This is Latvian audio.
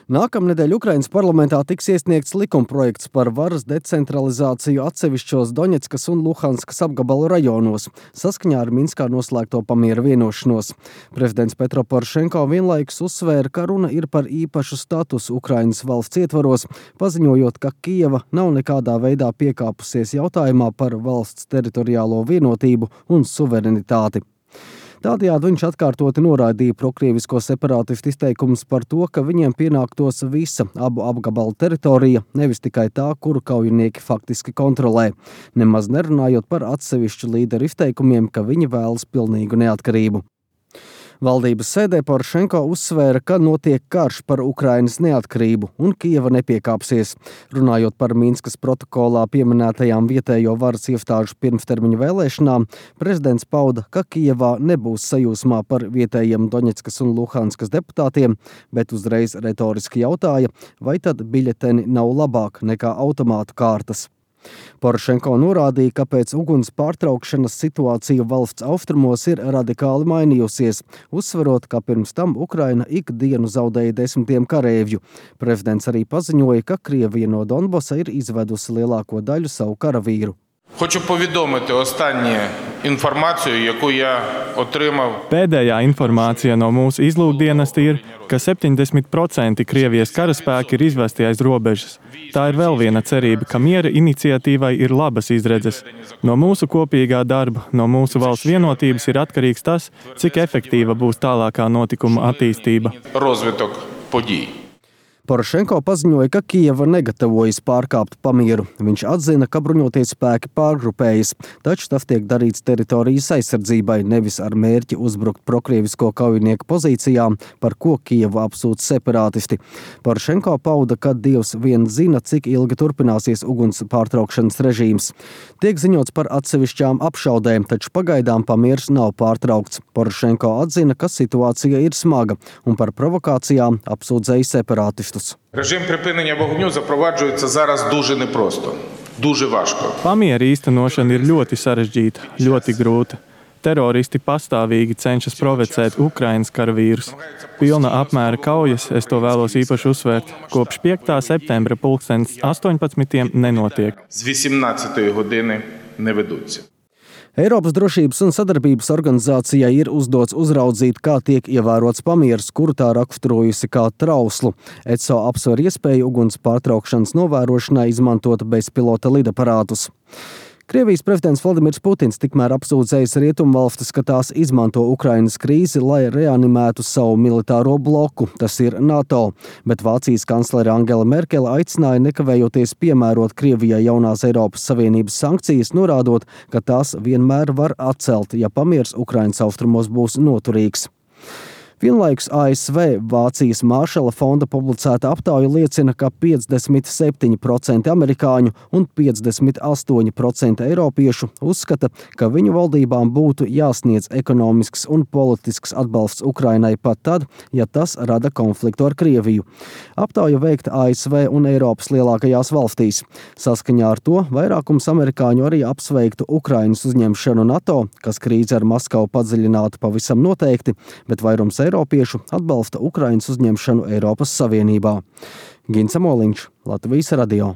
Nākamnedēļ Ukrainas parlamentā tiks iesniegts likumprojekts par varas decentralizāciju atsevišķos Doņetskas un Luhanskas apgabalu rajonos, saskaņā ar Minskā noslēgto pamiera vienošanos. Prezidents Petro Porošenko vienlaikus uzsvēra, ka runa ir par īpašu statusu Ukrainas valsts ietvaros, paziņojot, ka Kijeva nav nekādā veidā piekāpusies jautājumā par valsts teritoriālo vienotību un suverenitāti. Tādējādi viņš atkārtoti noraidīja prokrievisko separātistu izteikumus par to, ka viņiem pienāktos visa abu apgabalu teritorija, nevis tikai tā, kuru kaujinieki faktiski kontrolē, nemaz nerunājot par atsevišķu līderu izteikumiem, ka viņi vēlas pilnīgu neatkarību. Valdības sēdē Porošenko uzsvēra, ka notiek karš par Ukrainas neatkarību un Kijeva nepiekāpsies. Runājot par Minskas protokolā pieminētajām vietējo varas iestāžu pirmstermiņa vēlēšanām, prezidents pauda, ka Kijevā nebūs sajūsmā par vietējiem Doņetskas un Luhanskas deputātiem, bet uzreiz retoriski jautāja, vai tad biļeteni nav labāk nekā automātu kārtas. Porošenko norādīja, ka pēc uguns pārtraukšanas situācija valsts austrumos ir radikāli mainījusies, uzsverot, ka pirms tam Ukraina ikdienu zaudēja desmitiem kareivju. Prezidents arī paziņoja, ka Krievija no Donbasa ir izvedusi lielāko daļu savu karavīru. Хочу повідомити останню інформацію, яку я отримав. Pēdējā informācija no mūsu izlūkdienesta ir, ka 70% Krievijas karaspēki ir izvesti aiz robežas. Tā ir vēl viena cerība, ka miera iniciatīvai ir labas izredzes. No mūsu kopīgā darba, no mūsu valsts vienotības ir atkarīgs tas, cik efektīva būs tālākā notikuma attīstība. Розвиток подій. Porošenko paziņoja, ka Kijeva negatavojas pārkāpt pamieru. Viņš atzina, ka bruņoties spēki pārgrupējas, taču tas tiek darīts teritorijas aizsardzībai, nevis ar mērķi uzbrukt prokrievisko kaujinieku pozīcijām, par ko Kijevu apsūdz separātisti. Porošenko pauda, ka Dievs vien zina, cik ilgi turpināsies uguns pārtraukšanas režīms. Tiek ziņots par atsevišķām apšaudēm, taču pagaidām pamieris nav pārtraukts. Porošenko atzina, ka situācija ir smaga un par provokācijām apsūdzēja separātistus. Режим припинення вогню запроваджується зараз дуже непросто, дуже важко. Pamiera īstenošana ir ļoti sarežģīta, ļoti grūta. Teroristi pastāvīgi cenšas provocēt Ukrainas karavīrus. Pilna apmēra kaujas, es to vēlos īpaši uzsvērt, kopš 5. septembra 18. nenotiek. З 18 години не ведуться. Eiropas drošības un sadarbības organizācijai ir uzdots uzraudzīt, kā tiek ievērots pamieris, kuru tā raksturojusi kā trauslu. ECO apsver iespēju uguns pārtraukšanas novērošanai izmantot bezpilota lidaparātus. Krievijas prezidents Vladimirs Putins tikmēr apsūdzējis rietumvalstis, ka tās izmanto Ukrainas krīzi, lai reanimētu savu militāro bloku, tas ir NATO, bet Vācijas kanclere Angela Merkele aicināja nekavējoties piemērot Krievijai jaunās Eiropas Savienības sankcijas, norādot, ka tās vienmēr var atcelt, ja pamieris Ukrainas austrumos būs noturīgs. Vienlaikus ASV Vācijas Maršala fonda publicēta aptauja liecina, ka 57% amerikāņu un 58% eiropiešu uzskata, ka viņu valdībām būtu jāsniedz ekonomisks un politisks atbalsts Ukrainai pat tad, ja tas rada konfliktu ar Krieviju. Aptauja veikta ASV un Eiropas lielākajās valstīs. Saskaņā ar to vairākums amerikāņu arī apsveiktu Ukrainas uzņemšanu NATO, kas krīze ar Maskavu padziļinātu pavisam noteikti, bet vairums eiropiešu atbalsta Ukrainas uzņemšanu Eiropas Savienībā. Gins Amoliņš, Latvijas radio.